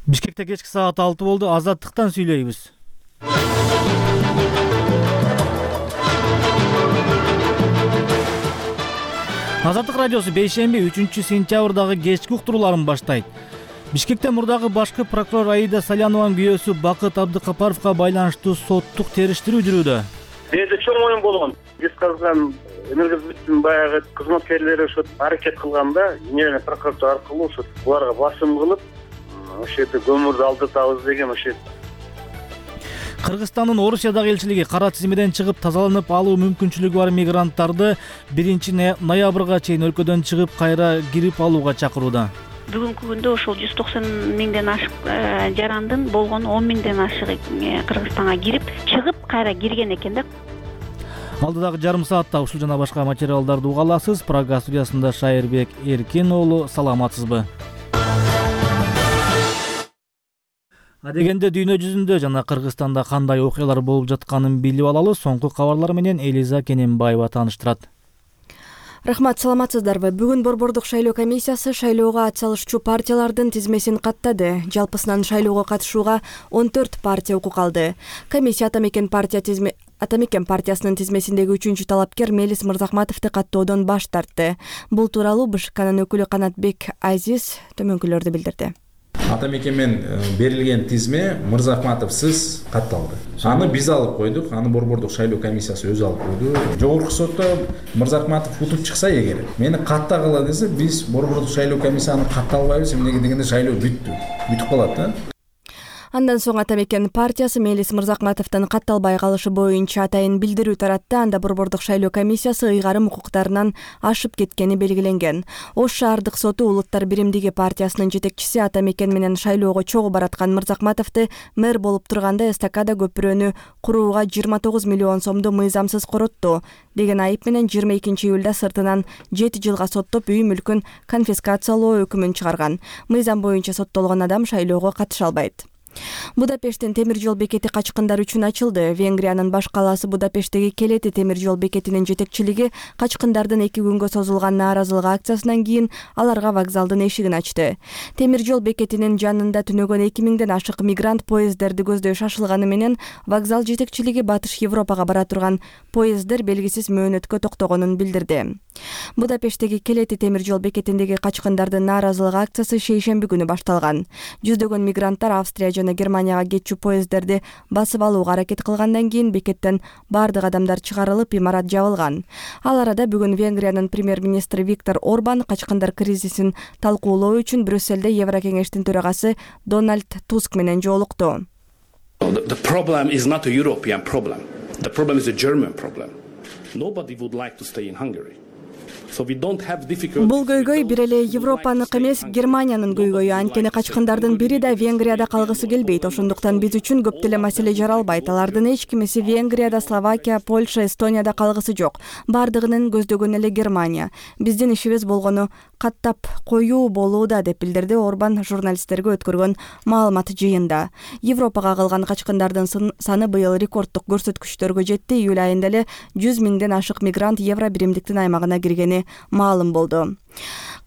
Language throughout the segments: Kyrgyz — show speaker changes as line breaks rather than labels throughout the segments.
Бишкекте кечки саат 6 болду. Азаттыктан сүйлөйбүз. Азаттык радиосу бейшемби 3-сентябрдагы кечки уктурууларын баштайт. Бишкекте мурдагы башкы прокурор Аида Салянованын күйөөсү Бакыт Абдыкапаровго байланыштуу соттук териштирүү жүрүүдө.
Менде чоң оюн болгон. Биз калган энергосбыттын баягы кызматкерлери ошо аракет кылганда, Генеральный прокуратура аркылуу ошо буларга басым кылып, ошо жерде көмүрдү алдыртабыз деген ошо.
Кыргызстандын Орусиядагы элчилиги кара тизмеден чыгып тазаланып алуу мүмкүнчүлүгү бар мигранттарды 1-ноябрга чейин өлкөдөн чыгып кайра кирип алууга чакырууда.
Бүгүнкү күндө ошол 190 миңден ашык жарандын болгону 10 миңден ашыгы Кыргызстанга кирип, чыгып кайра кирген экен да.
Алдыдагы жарым саатта ушул жана башка материалдарды уга аласыз. Прага студиясында Шайырбек Эркин уулу, саламатсызбы? Адегенде дүйнө жүзүндө жана Кыргызстанда кандай окуялар болуп жатканын билип алалы. Соңку кабарлар менен Элиза Кененбаева тааныштырат.
Рахмат, саламатсыздарбы? Бүгүн Борбордук шайлоо комиссиясы шайлоого ат салышчу партиялардын тизмесин каттады. Жалпысынан шайлоого катышууга 14 партия укук алды. Комиссия Атамекен партиясынын тизмесиндеги 3-чү талапкер Мелис Мырзахматовду каттоодон баш тартты. Бул тууралуу БШКнын өкүлү Канатбек Азиз төмөнкүлөрдү билдирди.
Атамекенмен берилген тизме Мырзахматовсыз катталды. Аны биз алып койдук, аны Борбордук шайлоо комиссиясы өзү алып койду. Жогорку сотто Мырзахматов утуп чыкса эгер, мени каттагыла десе, биз Борбордук шайлоо комиссияны катталбайбыз, эмнеге дегенде шайлоо бүтүп калат да.
Андан соң Атамекен партиясы Мелис Мырзахматовдун катталбай калышы боюнча атайын билдирүү таратты. Анда Борбордук шайлоо комиссиясы ыйгарым укуктарынан ашып кеткени белгиленген. Ош шаардык соту Улуттар биримдиги партиясынын жетекчиси Атамекен менен шайлоого чогуу бараткан Мырзахматовду мэр болуп турганда эстакада көпүрөнү курууга 29 миллион сомду мыйзамсыз коротту деген айып менен 22 июлда сыртынан 7 жылга соттоп үй мүлкүн конфискациялоо өкүмүн чыгарган. Мыйзам боюнча соттолгон адам шайлоого катыша албайт. Будапешттин темир жол бекети качкындар үчүн ачылды. Венгриянын баш калаасы Будапешттеги Келети темир жол бекетинин жетекчилиги качкындардын 2 күнгө созулган нааразылык акциясынан кийин аларга вокзалдын эшигин ачты. Темир жол бекетинин жанында түнөгөн 2000ден ашык мигрант поездерди көздөй шашылганы менен вокзал жетекчилиги Батыш Европага бара турган поезддер белгисиз мөөнөткө токтогонун билдирди. Будапешттеги Келети темир жол бекетиндеги качкындардын нааразылык акциясы шейшемби күнү башталган. Жүздөгөн мигранттар Австрия жана Германияга кетчү поезддерди басып алууга аракет кылгандан кийин бекеттен бардык адамдар чыгарылып, имарат жабылган. Ал арада бүгүн Венгриянын премьер-министри Виктор Орбан качкындар кризисин талкуулоо үчүн Брюсселде Еврокеңештин төрагасы Дональд Туск менен жолукту.
The problem is not a European problem. The problem is a German problem. Nobody would like to stay in Hungary.
Бул көйгөй бир эле Европаныкы эмес, Германиянын көйгөйү. Анткени качкындардын бири да Венгрияда калгысы келбейт. Ошондуктан биз үчүн көп деле маселе жаралбайт. Алардын эч кимиси Венгрияда, Словакия, Польша, Эстонияда калгысы жок. Бардыгынын көздөгөн эле Германия. Биздин ишибиз болгону каттап коюу болууда, деп билдирди Орбан журналисттерге өткөргөн маалымат жыйында. Европага калган качкындардын саны быйыл рекорддук көрсөткүчтөргө жетти. Июль айында эле 100 миңден ашык мигрант Евро биримдиктин аймагына киргени маалым болду.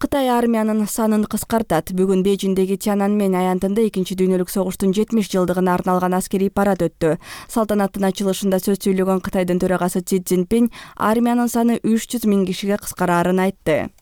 Кытай армиянын санын кыскартат. Бүгүн Бейжиңдеги Тяньаньмэнь аянтында 2 дүйнөлүк согуштун 70 жылдыгына арналган аскерий парад өттү. Салтанаттын ачылышында сөз сүйлөгөн Кытайдын төрагасы Си Цзиньпин армиянын саны 300 миң кишиге кыскараарын айтты.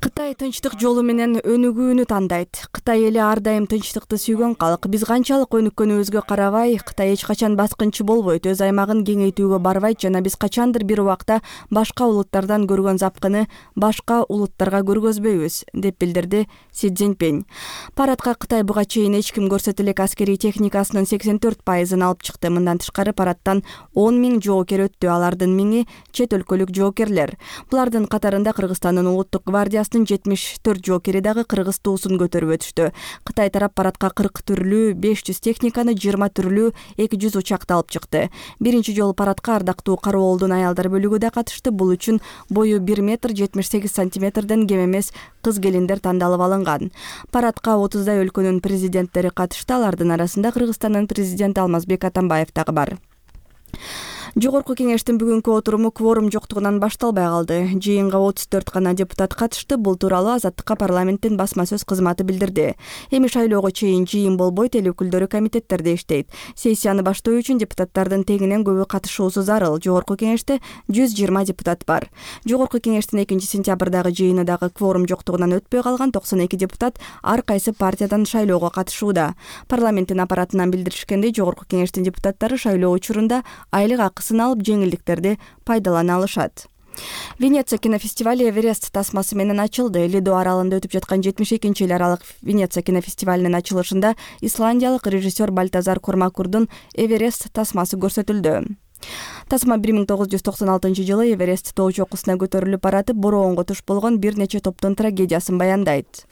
Кытай тынчтык жолу менен өнүгүүнү тандайт. Кытай эли ар дайым тынчтыкты сүйгөн калк. Биз канчалык өнүккөнүбүзгө карабай, Кытай эч качан баскынчы болбойт, өз аймагын кеңейтүүгө барбайт жана биз качандыр бир убакта башка улуттардан көргөн запкыны башка улуттарга көргөзбөйбүз, деп билдирди Си Цзиньпин. Парадка Кытай буга чейин эч ким көрсөтө элек аскерий техникасынын 84% алып чыкты. Мындан тышкары парадтан 10 миң жоокер өттү. Алардын миңи чет өлкөлүк жоокерлер. Булардын катарында Кыргызстандын улуттук гвардиясынын 74 жоокери дагы кыргыз туусун көтөрүп өтүштү. Кытай тарап парадка 40 түрлүү 500 техниканы, 20 түрлүү 200 учакты алып чыкты. Биринчи жолу парадка ардактуу Кароолдун аялдар бөлүгү да катышты. Бул үчүн бою 1 метр 78 сантиметрден кем эмес кыз келиндер тандалып алынган. Парадка 30дай өлкөнүн президенттери катышты. Алардын арасында Кыргызстандын президенти Алмазбек Атамбаев дагы бар. Жогорку кеңештин бүгүнкү отуруму кворум жоктугунан башталбай калды. Жыйынга 34 гана депутат катышты. Бул тууралуу Азаттыкка парламенттин басма сөз кызматы билдирди. Эми шайлоого чейин жыйын болбойт, эл өкүлдөрү комитеттерде иштейт. Сессияны баштоо үчүн депутаттардын тегинен көбү катышуусу зарыл. Жогорку кеңеште 120 депутат бар. Жогорку кеңештин 2-сентябрдагы жыйыны дагы кворум жоктугунан өтпөй калган. 92 депутат ар кайсы партиядан шайлоого катышууда. Парламенттин аппаратынан билдиришкендей, жогорку кеңештин депутаттары шайлоо учурунда айлык акысын алып жеңилдиктерди пайдалана алышат. Венеция кинофестивали Эверест тасмасы менен ачылды. Лидо аралында өтүп жаткан 72-эл аралык Венеция кинофестивалинин ачылышында исландиялык режиссер Бальтазар Кормакурдун Эверест тасмасы көрсөтүлдү. Тасма 1996-жылы Эверест тоо чокусуна көтөрүлүп баратып, бороонго туш болгон бир нече топтун трагедиясын баяндайт.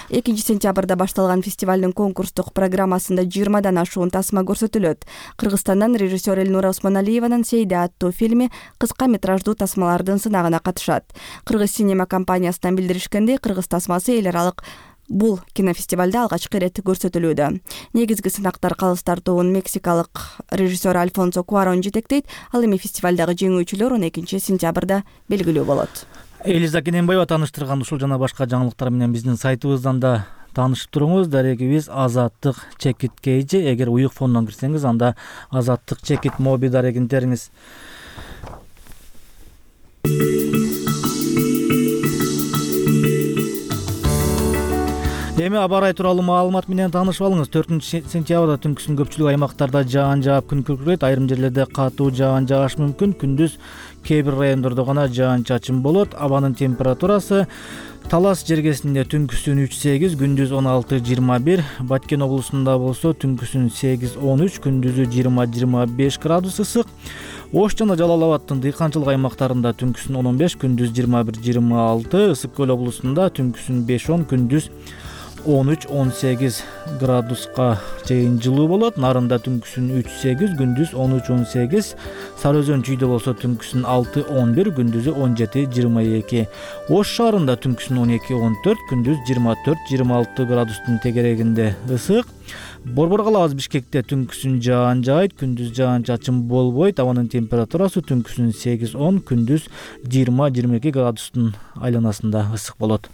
2-сентябрда башталган фестивалдын конкурстук программасында 20дан ашуун тасма көрсөтүлөт. Кыргызстандан режиссер Элнура Усмоналиеванын Сейде аттуу фильми кыска метраждуу тасмалардын сынагына катышат. Кыргыз синема компаниясынан билдиришкендей, кыргыз тасмасы эл аралык бул кинофестивалда алгачкы ирет көрсөтүлүүдө. Негизги сынактар калыс тартуун мексикалык режиссер Альфонсо Куарон жетектейт. Ал эми фестивалдагы жеңүүчүлөр 12-сентябрда белгилүү болот.
Элиза Кененбаева тааныштырган ушул жана башка жаңылыктар менен биздин сайтыбыздан да таанышып туруңуз. Дарегибиз Азаттык Чекит KG. Эгер уюк фондон кирсеңиз, анда Азаттык Чекит моби дарегин териңиз. Эми аба ырайы тууралуу маалымат менен таанышып алыңыз. 4-сентябрда түнкүсүн көпчүлүк аймактарда жаан жаап күн күркүрөйт. Айрым жерлерде катуу жаан жаашы мүмкүн. Күндүз кээ бир райондордо гана жаан чачын болот. Абанын температурасы Талас жергесинде түнкүсүн 3-8, күндүз 16-21, Баткен облусунда болсо түнкүсүн 8-13, күндүзү 20-25 градус ысык. Ош жана Жалал Абадтын дыйканчылык аймактарында түнкүсүн 15, күндүз 21-26, Ысык көл облусунда түнкүсүн 5-10, күндүз 13-18 градуска чейин жылуу болот. Нарында түнкүсүн 3-8, күндүз 13-18, Сары Өзөн чүйдө болсо түнкүсүн 6-11, күндүзү 17-22. Ош шаарында түнкүсүн 12-14, күндүз 24-26 градустун тегерегинде ысык. Борбор калабыз Бишкекте түнкүсүн жаан жаайт, күндүз жаан чачын болбойт. Абанын температурасы түнкүсүн 8-10, күндүз 20-22 градустун айланасында ысык болот.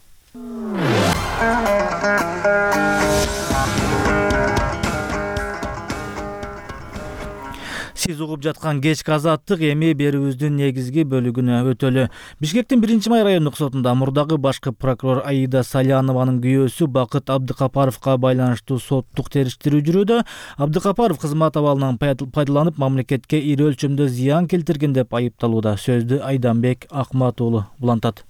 Сиз угуп жаткан кечки Азаттык эми берүүбүздүн негизги бөлүгүнө өтөлү. Бишкектин 1-май райондук сотунда мурдагы башкы прокурор Аида Салянованын күйөөсү Бакыт Абдыкапаровго байланыштуу соттук териштирүү жүрүүдө. Абдыкапаров кызмат абалынан пайдаланып мамлекетке ири өлчөмдө зыян келтирген деп айыпталууда. Сөздү Айданбек Акмат уулу улантат.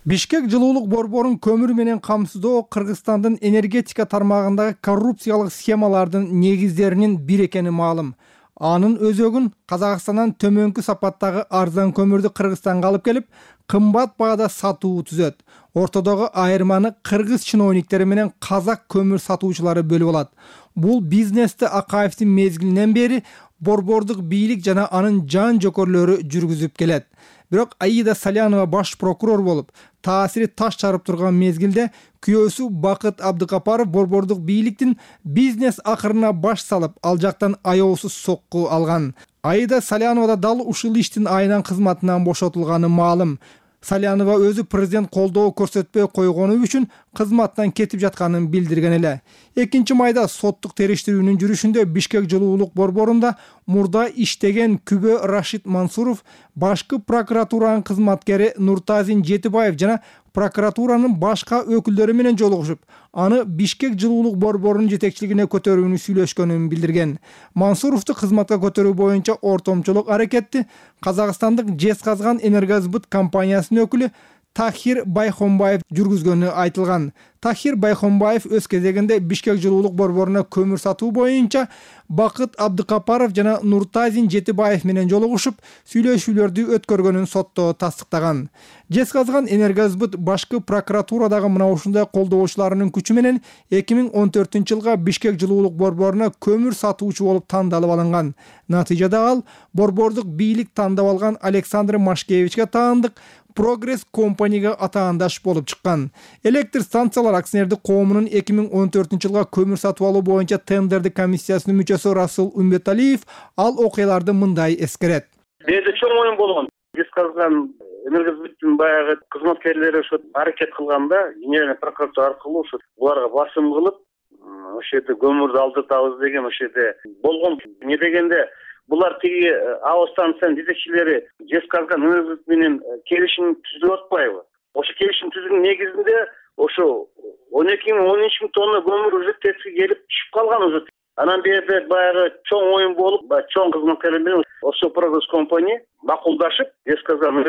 Бишкек жылуулук борборун көмүр менен камсыздоо Кыргызстандын энергетика тармагындагы коррупциялык схемалардын негиздеринин бири экени маалым. Анын өзөгүн Казакстандан төмөнкү сапаттагы арзан көмүрдү Кыргызстанга алып келип, кымбат баада сатуу түзөт. Ортодогу айырманы кыргыз чиновниктери менен казак көмүр сатуучулары бөлүп алат. Бул бизнести Акаевдин мезгилинен бери борбордук бийлик жана анын жан жокерлөрү жүргүзүп келет. Бирок Аида Салянова баш прокурор болуп, таасири таш чарып турган мезгилде күйөөсү Бакыт Абдыкапаров борбордук бийликтин бизнес акырына баш салып, ал жактан аеосуз сокку алган. Аида Салянова да дал ушул иштин айынан кызматынан бошотулганы маалым. Салянова өзү президент колдоо көрсөтпөй койгону үчүн кызматтан кетип жатканын билдирген эле. 2-майда соттук териштирүүнүн жүрүшүндө Бишкек жылуулук борборунда мурда иштеген Күбө Рашид Мансуров, башкы прокуратуранын кызматкери Нуртазин Жетибаев жана прокуратуранын башка өкүлдөрү менен жолугушуп, аны Бишкек жылуулук борборунун жетекчилигине көтөрүүнү сүйлөшкөнүн билдирген. Мансуровду кызматка көтөрүү боюнча ортомчулук аракетти Казакстандык Жезказган энергосбыт компаниясынын өкүлү Тахир Байхонбаев жүргүзгөнү айтылган. Тахир Байхонбаев өз кезегинде Бишкек жылуулук борборуна көмүр сатуу боюнча Бакыт Абдыкапаров жана Нуртазин Жетибаев менен жолугушуп, сүйлөшүүлөрдү өткөргөнүн сотто тастыктаган. Жезказган энергосбыт башкы прокуратурадагы мына ушундай колдоочуларынын күчү менен 2014-жылга Бишкек жылуулук борборуна көмүр сатуучу болуп тандалып алынган. Натыйжада ал борбордук бийлик тандап алган Александр Машкевичке таандык Прогресс компанияга атаандаш болуп чыккан. Электр станциялар акционердик коомунун 2014-жылга көмүр сатып алуу боюнча тендердик комиссиясынын мүчөсү Расул Умбеталиев ал окуяларды мындай эскерет.
Бизде чоң оюн болгон. Жезказган энергосбыттын баягы кызматкерлери ошо аракет кылганда генеральный прокуратура аркылуу ошо буларга басым кылып, ошол жерде көмүрдү алдыртабыз деген ошол жерде болгон. Не дегенде булар тиги АО станциянын жетекчилери Жезказган энергосбыт менен келишим түзүп атпайбы? Ошо келишим түзүүнүн негизинде ошо 12-13 миң тонна көмүр уже теске келип түшүп калган уже. Анан берде баягы чоң оюн болуп, чоң кызматкерлер менен ошо прогресс компания макулдашып, Жезказган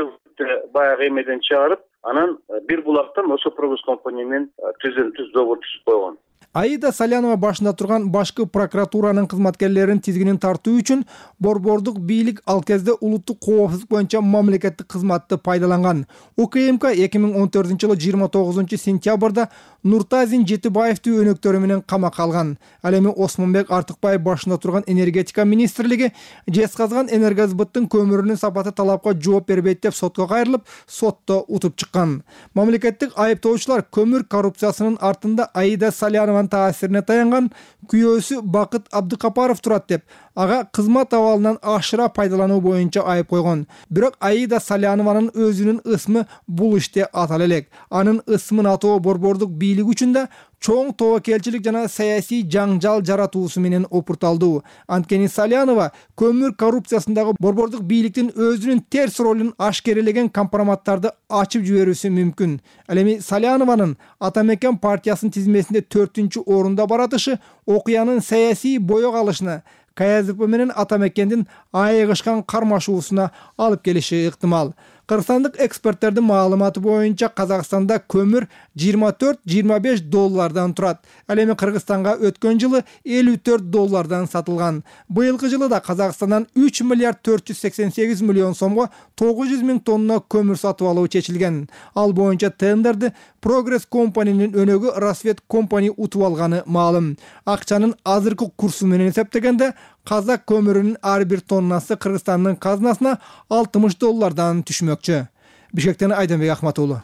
баягы эмеден чыгарып, анан бир булактан ошо прогресс компания менен түз договор түзүп койгон.
Аида Салянова башында турган башкы прокуратуранын кызматкерлерин тизгинин тартуу үчүн борбордук бийлик ал кезде улуттук коопсуздук боюнча мамлекеттик кызматты пайдаланган. УКМК 2014-жылы 29-сентябрда Нуртазин Жетибаевди өнөктөрү менен камакка алган. Ал эми Осмонбек Артыкбаев башында турган энергетика министрлиги Жезказган энергосбыттын көмүрүнүн сапаты талапка жооп бербейт деп сотко кайрылып, сотто утуп чыккан. Мамлекеттик айыптоочулар көмүр коррупциясынын артында Аида Салянова таасирине таянган күйөөсү Бакыт Абдыкапаров турат деп, ага кызмат абалынан ашыра пайдалануу боюнча айып койгон. Бирок Аида Салянованын өзүнүн ысмы бул иште атала элек. Анын ысмын атоо борбордук бийлик үчүн да чоң тобокелчилик жана саясий жаңжал жаратуусу менен опурталдуу. Анткени Салянова көмүр коррупциясындагы борбордук бийликтин өзүнүн терс ролун ашкерелеген компроматтарды ачып жиберүүсү мүмкүн. Ал эми Салянованын Атамекен партиясынын тизмесинде 4-орунда баратышы окуянын саясий боёк алышына, КСДП менен Атамекендин айыгышкан кармашуусуна алып келиши ыктымал. Кыргызстандык эксперттердин маалыматы боюнча Казакстанда көмүр $24-25 турат. Ал эми Кыргызстанга өткөн жылы $54 сатылган. Быйылкы жылы да Казакстандан 3 миллиард 488 миллион сомго 900 миң тонна көмүр сатып алуу чечилген. Ал боюнча тендерди Прогресс компаниянын өнөгү Рассвет компания утуп алганы маалым. Акчанын азыркы курсу менен эсептегенде Казак көмүрүнүн ар бир тоннасы Кыргызстандын казынасына $60 түшмөкчү. Бишкектен Айданбек Ахматуулу.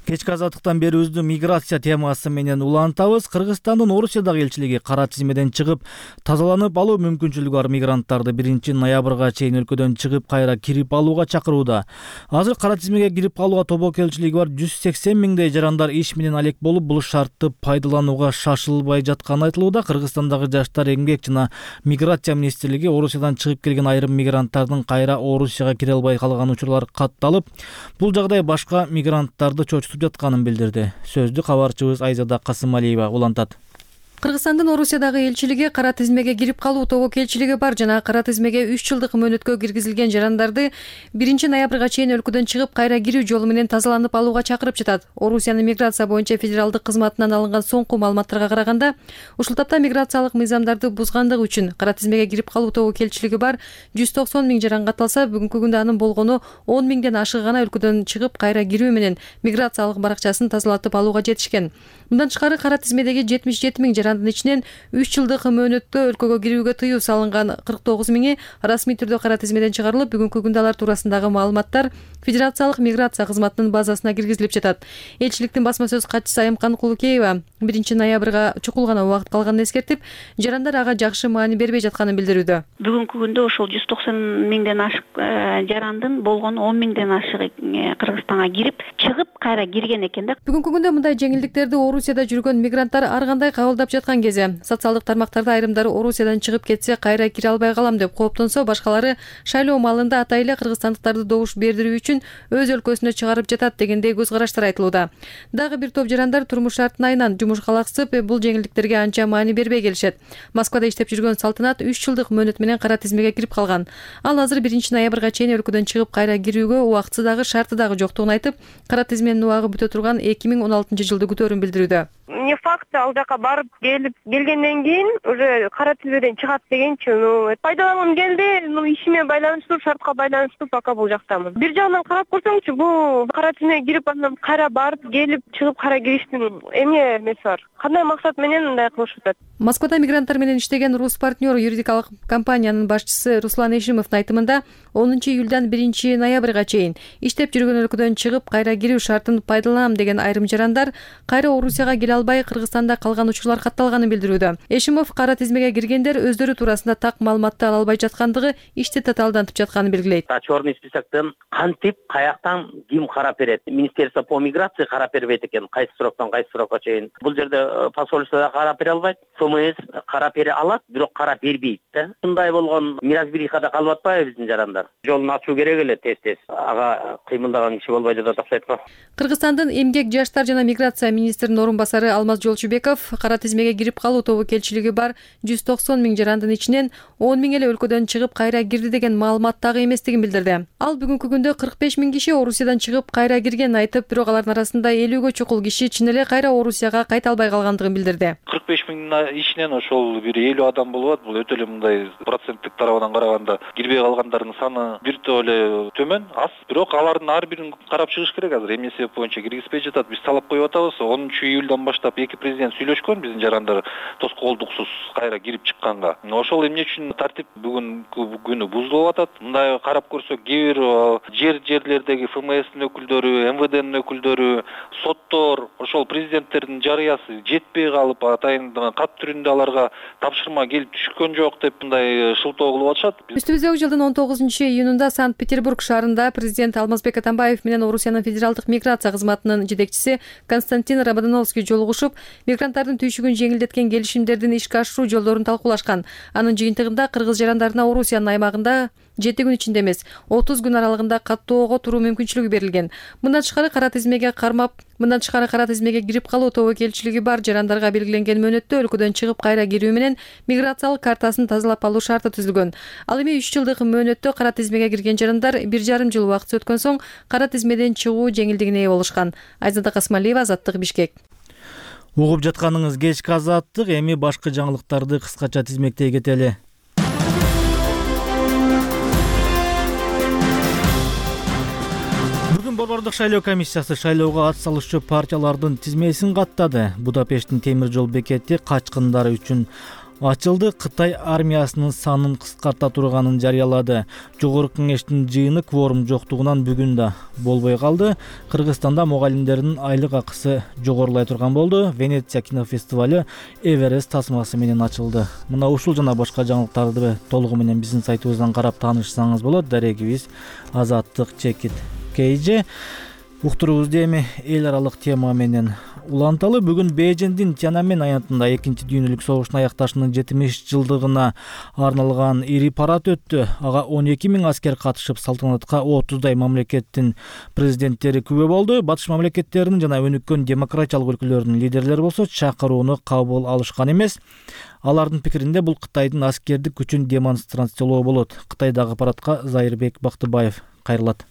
Кечки азаттыктан берүүбүздү миграция темасы менен улантабыз. Кыргызстандын Орусиядагы элчилиги кара тизмеден чыгып, тазаланып алуу мүмкүнчүлүгү бар мигранттарды 1-ноябрга чейин өлкөдөн чыгып кайра кирип алууга чакырууда. Азыр кара тизмеге кирип калууга тобокелчилиги бар 180 миңдей жарандар иш менен алек болуп, бул шартты пайдаланууга шашылбай жатканы айтылууда. Кыргызстандагы Жаштар, эмгек жана миграция министрлиги Орусиядан чыгып келген айрым мигранттардын кайра Орусияга кире албай калган учурлар катталып, бул жагдай башка мигранттарды чочутуп жатканын билдирди. Сөздү кабарчыбыз Айзада Касымалиева улантат.
Кыргызстандын Орусиядагы элчилиги кара тизмеге кирип калуу тобокелчилиги бар жана кара тизмеге 3 жылдык мөөнөткө киргизилген жарандарды 1-ноябрга чейин өлкөдөн чыгып кайра кирүү жолу менен тазаланып алууга чакырып жатат. Орусиянын миграция боюнча федералдык кызматынан алынган соңку маалыматтарга караганда, ушул тапта миграциялык мыйзамдарды бузгандыгы үчүн кара тизмеге кирип калуу тобокелчилиги бар 190 миң жаран катталса, бүгүнкү күндө анын болгону 10 миңден ашыгы гана өлкөдөн чыгып кайра кирүү менен миграциялык баракчасын тазалатып алууга жетишкен. Мындан тышкары кара тизмедеги 77 миң жарандын ичинен 3 жылдык мөөнөттө өлкөгө кирүүгө тыюу салынган 49 миңи расмий түрдө кара тизмеден чыгарылып, бүгүнкү күндө алар туурасындагы маалыматтар Федерациялык миграция кызматынын базасына киргизилип жатат. Элчиликтин басма сөз катчысы Айымкан Кулукеева 1-ноябрга чукул гана убакыт калганын эскертип, жарандар ага жакшы маани бербей жатканын билдирүүдө.
Бүгүнкү күндө ошол 190 миңден ашык жарандын болгону 10 миңден ашыгы Кыргызстанга кирип, чыгып кайра кирген экен да.
Бүгүнкү күндө мындай жеңилдиктерди Орусияда жүргөн мигранттар ар кандай кабылдап жаткан кезде, социалдык тармактарда айрымдары Орусиядан чыгып кетсе кайра кире албай калам деп кооптонсо, башкалары шайлоо маалында атай эле кыргызстандыктарды добуш бердирүү үчүн өз өлкөсүнө чыгарып жатат дегендей көз караштар айтылууда. Дагы бир топ жарандар турмуш шартын айынан жумушка алаксып, бул жеңилдиктерге анча маани бербей келишет. Москвада иштеп жүргөн Салтанат 3 жылдык мөөнөт менен кара тизмеге кирип калган. Ал азыр 1-ноябрга чейин өлкөдөн чыгып кайра кирүүгө убактысы дагы шарты дагы жоктугун айтып, кара тизменин убагы бүтө турган 2016 жылды күтөөрүн билдирүүдө.
не факт ал жака барып келгенден кийин уже кара тизмеден чыгат дегенчи. Пайдалангым келди, ишиме байланыштуу, шартка байланыштуу пока бул жактамын. Бир жагынан карап көрсөңчү, бул кара тизмеге кирип андан кайра барып келип чыгып кайра кириштин эмне эмеси бар? Кандай максат менен мындай кылышып атат?
Москвада мигранттар менен иштеген Рус партнер юридикалык компаниянын башчысы Руслан Эшимовдун айтымында 10 июлдан 1 ноябрга чейин иштеп жүргөн өлкөдөн чыгып кайра кирүү шартын пайдаланам деген айрым жарандар кайра Орусияга келе албай Кыргызстанда калган учурлар катталганын билдирүүдө. Эшимов кара тизмеге киргендер өздөрү туурасында так маалыматты ала албай жаткандыгы ишти татаалдантып жатканын белгилейт.
Черный списоктон кантип, каяктан ким карап берет? Министерство по миграции карап бербейт экен. Кайсы сроктон кайсы срокко чейин. Бул жерде посольство да карап бере албайт. ФМС карап бере алат, бирок карап бербейт да. Мындай болгон неразберихада калып атпайбы биздин жарандар? Жолун ачуу керек эле тез-тез. Ага кыймылдаган киши болбой жатат окшойт го.
Кыргызстандын эмгек, жаштар жана миграция министринин орун басары Алмаз Жолчубеков кара тизмеге кирип калуу тобокелчилиги бар 190 миң жарандын ичинен 10 миң эле өлкөдөн чыгып кайра кирди деген маалымат дагы эместигин билдирди. Ал бүгүнкү күндө 45 миң киши Орусиядан чыгып кайра киргенин айтып, бирок алардын арасында 50ге чукул киши чын эле кайра Орусияга кайта албай калгандыгын билдирди.
45 миңдин ичинен ошол бир 50 адам болот. Бул өтө эле мындай проценттик тарабынан караганда кирбей калгандардын саны бир топ эле төмөн, аз. Бирок алардын ар бирин карап чыгыш керек азыр. Эмне себеп боюнча киргизбей жатат? Биз талап коюп атабыз. 10 июлдан баштап эки президент сүйлөшкөн биздин жарандар тоскоолдуксуз кайра кирип чыкканга. Ошол эмне үчүн тартип бүгүнкү күнү бузулуп атат? Мындай карап көрсөк, кээ бир жерлердеги ФМСтин өкүлдөрү, МВДнин өкүлдөрү, соттор, ошол президенттердин жарыясы жетпей калып, атайын кат түрүндө аларга тапшырма келип түшкөн жок деп мындай шылтоо кылып атышат.
Үстүбүздөгү жылдын 19 июнунда Санкт-Петербург шаарында президент Алмазбек Атамбаев менен Орусиянын федералдык миграция кызматынын жетекчиси Константин Рабодановский жолугушуп, мигранттардын түйшүгүн жеңилдеткен келишимдердин ишке ашыруу жолдорун талкуулашкан. Анын жыйынтыгында кыргыз жарандарына Орусиянын аймагында 7 күн ичинде эмес, 30 күн аралыгында каттоого туруу мүмкүнчүлүгү берилген. Мындан тышкары кара тизмеге кирип калуу тобокелчилиги бар жарандарга белгиленген мөөнөттө өлкөдөн чыгып кайра кирүү менен миграциялык картасын тазалап алуу шарты түзүлгөн. Ал эми 3 жылдык мөөнөттө кара тизмеге кирген жарандар 1,5 жыл убакыт өткөн соң кара тизмеден чыгуу жеңилдигине ээ болушкан. Айзада Касмалиева, Азаттык, Бишкек.
Угуп жатканыңыз кечки Азаттык, эми башкы жаңылыктарды кыскача тизмектей кетели. Борбордук шайлоо комиссиясы шайлоого ат салышчу партиялардын тизмесин каттады. Будапешттин темир жол бекети качкындар үчүн ачылды. Кытай армиясынын санын кыскарта турганын жарыялады. Жогорку кеңештин жыйыны кворум жоктугунан бүгүн да болбой калды. Кыргызстанда мугалимдердин айлык акысы жогорулай турган болду. Венеция кинофестивалю Эверест тасмасы менен ачылды. Мына ушул жана башка жаңылыктарды толугу менен биздин сайтыбыздан карап таанышсаңыз болот. Дарегибиз Азаттык /KJ. Уктуруубузду эми эл аралык тема менен уланталы. Бүгүн Бейжиңдин Тяньаньмэнь аянтында 2-дүйнөлүк согуштун аякташынын 70 жылдыгына арналган ири парад өттү. Ага 12 миң аскер катышып, салтанатка 30дай мамлекеттин президенттери күбө болду. Батыш мамлекеттеринин жана өнүккөн демократиялык өлкөлөрдүн лидерлери болсо чакырууну кабыл алышкан эмес. Алардын пикиринде бул Кытайдын аскердик күчүн демонстрациялоо болот. Кытайдагы парадка Зайырбек Бактыбаев кайрылат.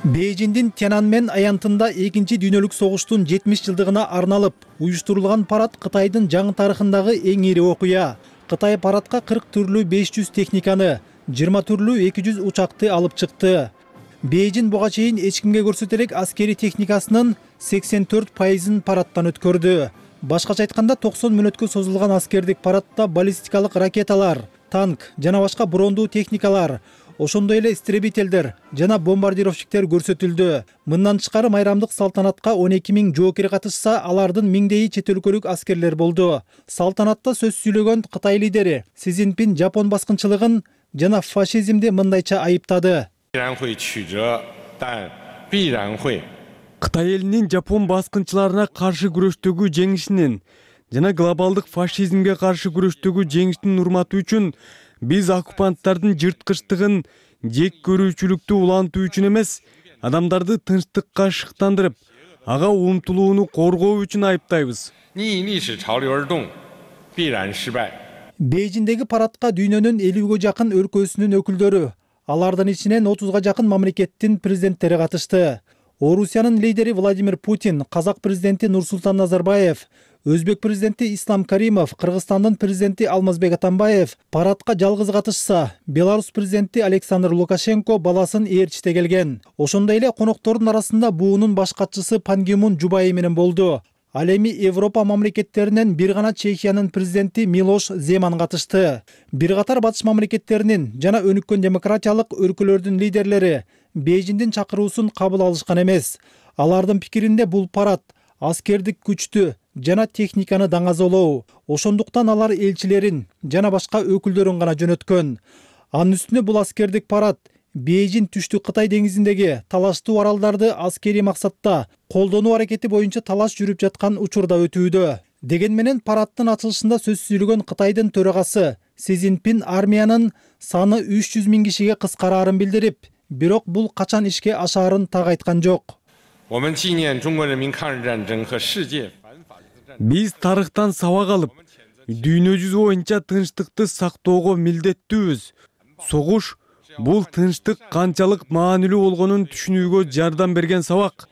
Бейжиңдин Тяньаньмэнь аянтында 2-дүйнөлүк согуштун 70 жылдыгына арналып уюштурулган парад Кытайдын жаңы тарыхындагы эң ири окуя. Кытай парадка 40 түрлүү 500 техниканы, 20 түрлүү 200 учакты алып чыкты. Бейжиң буга чейин эч кимге көрсөтө элек аскери техникасынын 84% парадтан өткөрдү. Башкача айтканда 90 мүнөткө созулган аскердик парадта баллистикалык ракеталар, танк жана башка брондуу техникалар, ошондой эле истребителдер жана бомбардировщиктер көрсөтүлдү. Мындан тышкары майрамдык салтанатка 12 миң жоокер катышса, алардын миңдейи чет өлкөлүк аскерлер болду. Салтанатта сөз сүйлөгөн Кытай лидери Си Цзиньпин Жапон баскынчылыгын жана фашизмди мындайча айыптады.
Кытай элинин Жапон баскынчыларына каршы күрөштөгү жеңишинин жана глобалдык фашизмге каршы күрөштөгү жеңиштин урматы үчүн биз оккупанттардын жырткычтыгын, жек көрүүчүлүктү улантуу үчүн эмес, адамдарды тынчтыкка шыктандырып, ага умтулууну коргоо үчүн айыптайбыз.
Бейжиңдеги парадка дүйнөнүн 50ге жакын өлкөсүнүн өкүлдөрү, Алардын ичинен 30га жакын мамлекеттин президенттери катышты. Орусиянын лидери Владимир Путин, Казак президенти Нурсултан Назарбаев, Өзбек президенти Ислам Каримов, Кыргызстандын президенти Алмазбек Атамбаев парадка жалгыз катышса, Беларусь президенти Александр Лукашенко баласын ээрчите келген. Ошондой эле коноктордун арасында буунун баш катчысы Пан Ги Мун жубайы менен болду. Ал эми Европа мамлекеттеринен бир гана Чехиянын президенти Милош Земан катышты. Бир катар батыш мамлекеттеринин жана өнүккөн демократиялык өлкөлөрдүн лидерлери Бейжиңдин чакыруусун кабыл алышкан эмес. Алардын пикиринде бул парад аскердик күчтү жана техниканы даңазолоо. Ошондуктан алар элчилерин жана башка өкүлдөрүн гана жөнөткөн. Анын үстүнө бул аскердик парад Бейжиң түштүк Кытай деңизиндеги талаштуу аралдарды аскерий максатта колдонуу аракети боюнча талаш жүрүп жаткан учурда өтүүдө. Деген менен парадтын ачылышында сөз сүйлөгөн Кытайдын төрагасы Си Цзиньпин армиянын саны 300 000 кишиге кыскараарын билдирип, бирок бул качан ишке ашаарын так айткан жок.
Биз тарыхтан сабак алып, дүйнө жүзү боюнча тынчтыкты сактоого милдеттүүбүз. Согуш бул тынчтык канчалык маанилүү болгонун түшүнүүгө жардам берген сабак.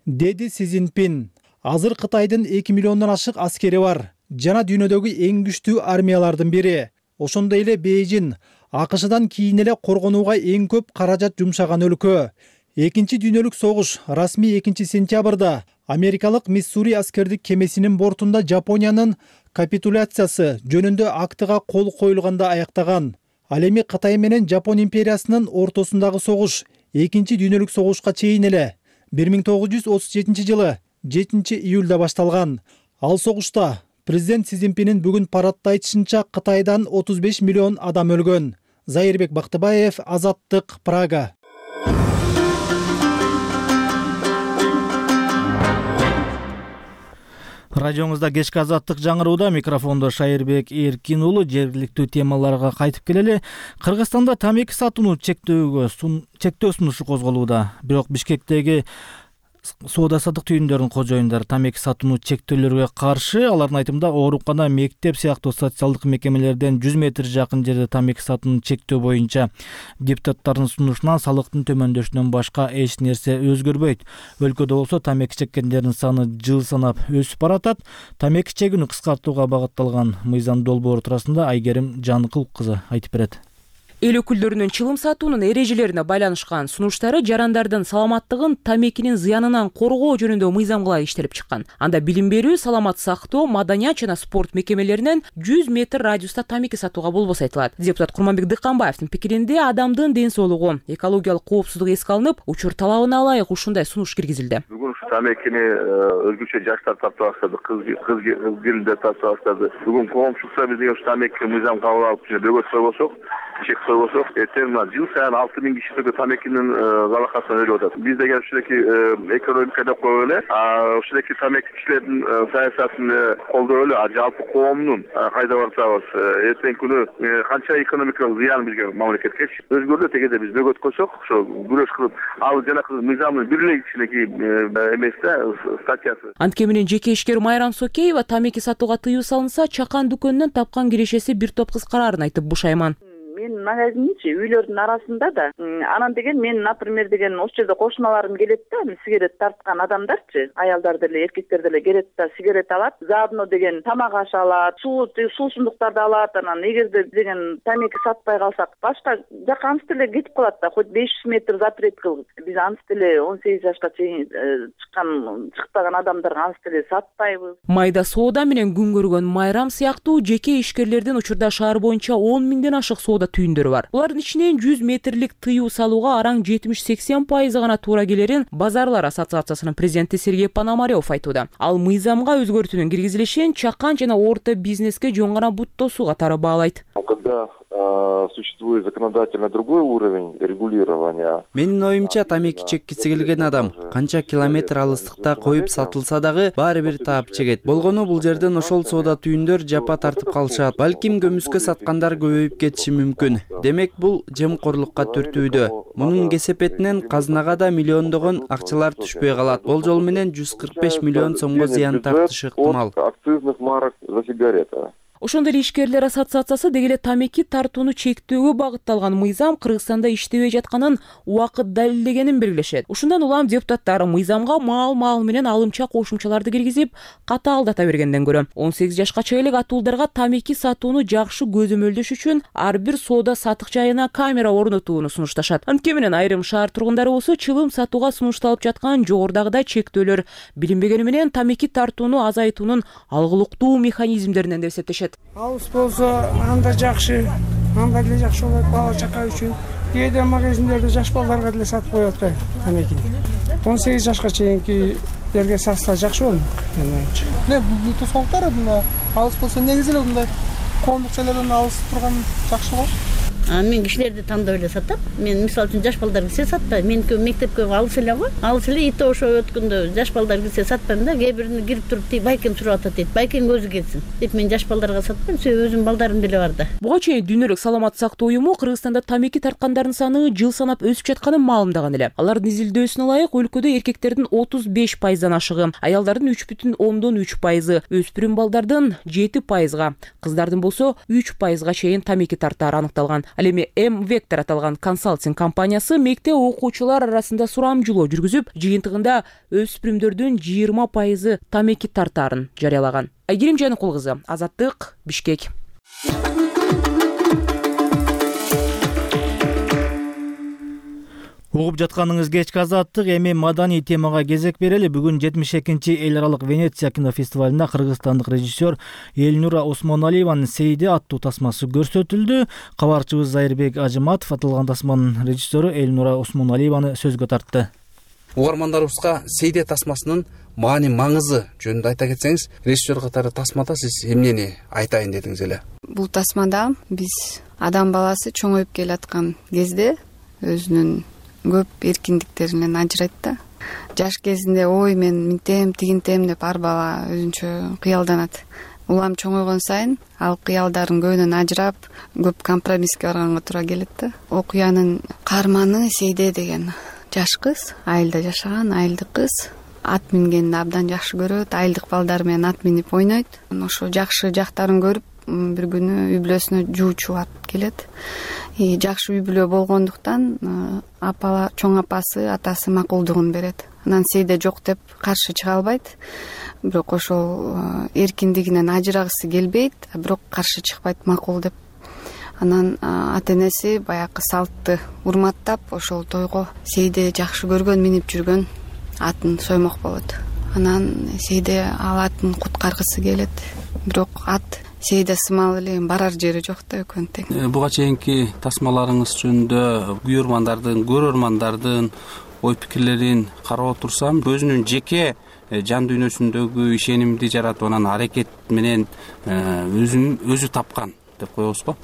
Деди Си Цзиньпин. Азыр Кытайдын 2 миллиондон ашык аскери бар жана дүйнөдөгү эң күчтүү армиялардын бири. Ошондой эле Бейжиң АКШдан кийин эле коргонууга эң көп каражат жумшаган өлкө. Экинчи дүйнөлүк согуш расмий 2-сентябрда Америкалык Миссури аскердик кемесинин бортунда Жапониянын капитуляциясы жөнүндө актыга кол коюлганда аяктаган. Ал эми Кытай менен Жапон империясынын ортосундагы согуш экинчи дүйнөлүк согушка чейин эле 1937 жылы 7-июлда башталган. Ал согушта президент Си Цзиньпиндин бүгүн парадда айтышынча Кытайдан 35 миллион адам өлгөн. Зайырбек Бактыбаев, Азаттык, Прага.
Радиоңузда кечки Азаттык жаңырууда, микрофондо Шайырбек Эркин уулу. Жергиликтүү темаларга кайтып келели. Кыргызстанда тамеки сатууну чектөө сунушу козголууда. Бирок Бишкектеги соода-саттык түйүндөрүнүн кожоюндары тамеки сатууну чектөөлөргө каршы. Алардын айтымында оорукана, мектеп сыяктуу социалдык мекемелерден 100 метр жакын жерде тамеки сатууну чектөө боюнча депутаттардын сунушунан салыктын төмөндөшүнөн башка эч нерсе өзгөрбөйт. Өлкөдө болсо тамеки чеккендердин саны жыл санап өсүп баратат. Тамеки чегүүнү кыскартууга багытталган мыйзам долбоору туурасында Айгерим Жаныкул кызы айтып берет.
Эл өкүлдөрүнүн чылым сатуунун эрежелерине байланышкан сунуштары жарандардын саламаттыгын тамекинин зыянынан коргоо жөнүндө мыйзамга иштелип чыккан. Анда билим берүү, саламат сактоо, маданият жана спорт мекемелеринен 100 метр радиуста тамеки сатууга болбосо айтылат. Депутат Курманбек Дыкканбаевдин пикиринде адамдын ден соолугу, экологиялык коопсуздук эске алынып, учур талабына ылайык ушундай сунуш киргизилди.
Бүгүн тамекини өзгөчө жаштар тартып баштады, кыз келиндер тартып баштады. Бүгүн коомчулукта биз ушу тамеки мыйзам кабыл алып бөгөт койбосок, чек койбосок, эртең жыл сайын 6000 киши тамекинин залакасын өлүп атат. Биз деген ушундайки экономика деп коелу эле, ушундайки тамеки кишилердин саясатын колдоп эле, жалпы коомдун кайда барсабыз, эртең күнү канча экономикалык зыян бизге мамлекетке өзгөрдү. Тегеде биз бөгөт койсок, ошо күрөш кылып, ал жанакы мыйзамдын бир эле кичинекей эмес да статьясы.
Антке менен жеке ишкер Майрам Сокеева тамеки сатууга тыюу салынса, чакан дүкөнүнөн тапкан кирешеси бир топ кыскараарын айтып бушайман.
Мен магазинчи үйлөрдүн арасында да анан деген мен, например, деген ошол жерде кошуналарым келет да, сигарет тарткан адамдарчы, аялдар деле, эркектер деле келет да, сигарет алат, заодно деген тамак аш алат, суусундуктарды алат. Анан эгерде деген тамеки сатпай калсак, башка жака ансы деле кетип калат да, хоть 500 метр запрет кылып. Биз ансы деле 18 жашка чейин чыкпаган адамдарга ансы деле сатпайбыз.
Майда соода менен күн көргөн Майрам сыяктуу жеке ишкерлердин учурда шаар боюнча 10 000ден ашык соода түйүндөрү бар. Булардын ичинен 100 метрлик тыюу салууга араң 70-80% гана туура келерин Базарлар ассоциациясынын президенти Сергей Пономарев айтууда. Ал мыйзамга өзгөртүүнүн киргизилишин чакан жана орто бизнеске жөн гана бут тосуу катары баалайт.
Когда существует законодательно другой уровень регулирования.
Менин оюмча, тамеки чеккиси келген адам канча километр алыстыкта коюп сатылса дагы баары бир таап чегет. Болгону бул жерден ошол соода түйүндөр жапа тартып калышат. Балким көмүскө саткандар көбөйүп кетиши мүмкүн. Демек бул жемкорлукка түртүүдө. Мунун кесепетинен казынага да миллиондогон акчалар түшпөй калат. Болжол менен 145 миллион сомго зыян тартышы ыктымал.
Акцизных марок за сигарета.
Ошондой эле ишкерлер ассоциациясы деги эле тамеки тартууну чектөөгө багытталган мыйзам Кыргызстанда иштебей жатканын убакыт далилдегенин белгилешет. Ушундан улам депутаттар мыйзамга маал менен алымча кошумчаларды киргизип, катаалдата бергенден көрө 18 жашка чейин атуулдарга тамеки сатууну жакшы көзөмөлдөш үчүн ар бир соода сатык жайына камера орнотууну сунушташат. Анткени менен айрым шаар тургундары болсо чылым сатууга сунушталып жаткан жогорудагыдай чектөөлөр билинбегени менен тамеки тартууну азайтуунун алгылыктуу механизмдеринен деп эсептешет.
Алыс болсо анда жакшы, анда деле жакшы болот бала чака үчүн. Кээде магазиндерде жаш балдарга деле сатып коет да тамекини. 18 жашка чейинкилерге сатса жакшы болот.
Бул тосолуктар мына алыс болсо негизи эле мындай коомдук жайлардан алыс турган жакшы го.
Мен кишилерди тандап эле сатам. Мен мисалы үчүн жаш балдар кирсе сатпайм. Меники мектепке алыс эле го. Алыс эле ите ошо өткөндө жаш балдар кирсе сатпайм да. Кээ бирини кирип туруп тиги байкем сурап атат дейт. Байкем өзү келсин деп мен жаш балдарга сатпайм. Себеби өзүмдүн балдарым деле бар да.
Буга чейин Дүйнөлүк саламаттык сактоо уюму Кыргызстанда тамеки тарткандардын саны жыл санап өсүп жатканын маалымдаган эле. Алардын изилдөөсүнө ылайык өлкөдө эркектердин 35%дан ашыгы, аялдардын 3,3%, өспүрүм балдардын 7%, кыздардын болсо 3%га чейин тамеки тартаары аныкталган. Ал эми M-Vector аталган консалтинг компаниясы мектеп окуучулар арасында сурамжылоо жүргүзүп, жыйынтыгында өспүрүмдөрдүн 20% тамеки тартаарын жарыялаган. Айгерим Жаныкул кызы, Азаттык, Бишкек.
Угуп жатканыңыз кечки Азаттык, эми маданий темага кезек берели. Бүгүн 72-чи эл аралык Венеция кинофестивалында кыргызстандык режиссер Эльнура Осмоналиеванын «Сейде» аттуу тасмасы көрсөтүлдү. Кабарчыбыз Зайырбек Ажыматов аталган тасманын режиссеру Эльнура Осмоналиеваны сөзгө тартты.
Угармандарыбызга «Сейде» тасмасынын маани маңызы жөнүндө айта кетсеңиз, режиссер катары тасмада сиз эмнени айтайын дедиңиз эле?
Бул тасмада биз адам баласы чоңоюп келаткан кезде өзүнүн көп эркиндиктеринен ажырайт да. Жаш кезинде ой мен минтем, тигинтем деп ар бала өзүнчө кыялданат. Улам чоңойгон сайын ал кыялдарын көбүнөн ажырап, көп компромисске барганга туура келет да. Окуянын каарманы Сейде деген жаш кыз, айылда жашаган айылдык кыз, ат мингенди абдан жакшы көрөт, айылдык балдар менен ат минип ойнойт. Ошо жакшы жактарын көрүп, бир күнү үй бүлөсүнө жуучу алып келет. Жакшы үй бүлө болгондуктан чоң апасы, атасы макулдугун берет. Анан Сейде жок деп каршы чыга албайт. Бирок ошол эркиндигинен ажырагысы келбейт, бирок каршы чыкпайт, макул деп. Анан ата-энеси баягы салтты урматтап, ошол тойго Сейде жакшы көргөн, минип жүргөн атын соймок болот. Анан Сейде ал атын куткаргысы келет, бирок ат Сейде сымал эле барар жери жок да, экөөнү тең.
Буга чейинки тасмаларыңыз жөнүндө көрөрмандардын ой пикирлерин карап отурсам, өзүнүн жеке жан дүйнөсүндөгү ишенимди жаратып, анан аракет менен өзү тапкан деп коебузго,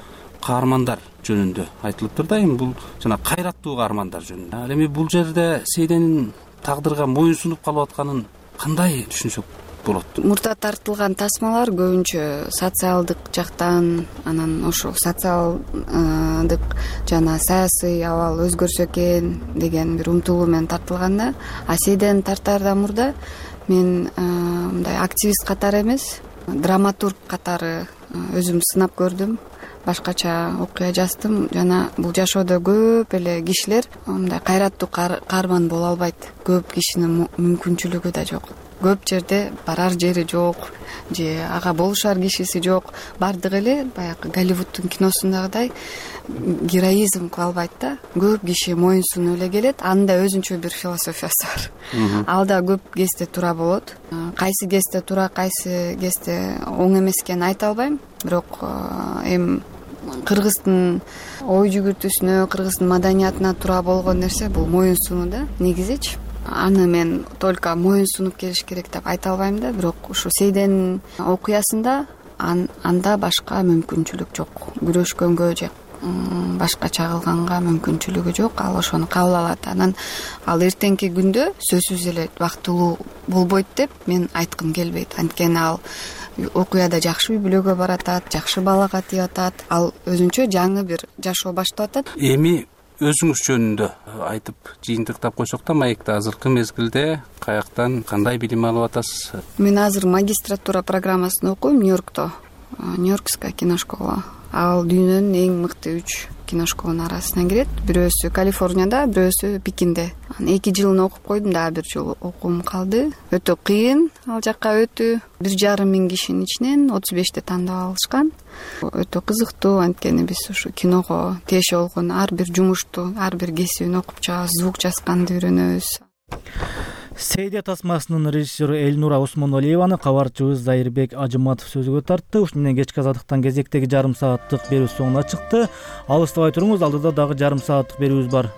каармандар жөнүндө айтылыптыр да. Эми бул жана кайраттуу каармандар жөнүндө. Ал эми бул жерде Сейденин тагдырга моюн сунуп калып атканын кандай түшүнсөк болот?
Мурда тартылган тасмалар көбүнчө социалдык жактан, анан ошол социалдык жана саясий абал өзгөрсө экен деген бир умтулуу менен тартылган да. А Сейдени тартаардан мурда мен мындай активист катары эмес, драматург катары өзүм сынап көрдүм. Башкача окуя жаздым. Жана бул жашоодо көп эле кишилер мындай кайраттуу каарман боло албайт. Көп кишинин мүмкүнчүлүгү да жок. Көп жерде барар жери жок, же ага болушар кишиси жок. Бардыгы эле баягы Голливудтун киносундагыдай героизм кыла албайт да. Көп киши моюн сунуп эле келет. Анын да өзүнчө бир философиясы бар. Ал да көп кезде туура болот. Кайсы кезде туура, кайсы кезде оң эмес экенин айта албайм. Бирок эми кыргыздын ой жүгүртүүсүнө, кыргыздын маданиятына туура болгон нерсе бул моюн сунуу да, негизичи. Аны мен только моюн сунуп келиш керек деп айта албайм да, бирок ушу Сейденин окуясында анда башка мүмкүнчүлүк жок. Күрөшкөнгө же башкача кылганга мүмкүнчүлүгү жок. Ал ошону кабыл алат. Анан ал эртеңки күндө сөзсүз эле бактылуу болбойт деп мен айткым келбейт. Анткени ал окуяда жакшы үй бүлөгө баратат, жакшы балага тийип атат. Ал өзүнчө жаңы бир жашоо баштап атат.
Эми өзүңүз жөнүндө айтып жыйынтыктап койсок да, маекте азыркы мезгилде каяктан кандай билим алып атасыз?
Мен азыр магистратура программасын окуйм Нью-Йоркто. Нью-Йоркская киношкола. Ал дүйнөнүн эң мыкты 3 киношколонун арасына кирет. Бирөөсү Калифорнияда, бирөөсү Пекинде. 2 жылын окуп койдум, дагы 1 жыл окуум калды. Өтө кыйын ал жакка өтүү. 1,5 миң кишинин ичинен 35 тандап алышкан. Өтө кызыктуу, анткени биз ушу киного тиеши болгон ар бир жумушту, ар бир кесибин окуп чыгабыз, звук жазганды үйрөнөбүз.
Сейдия тасмасынын режиссеру Элнура Осмонолиеваны кабарчыбыз Зайырбек Ажыматов сөзгө тартты. Ушуну менен кечки азаттыктан кезектеги жарым сааттык берүү соңуна чыкты. Алыстабай туруңуз, алдыда дагы жарым сааттык берүүбүз бар.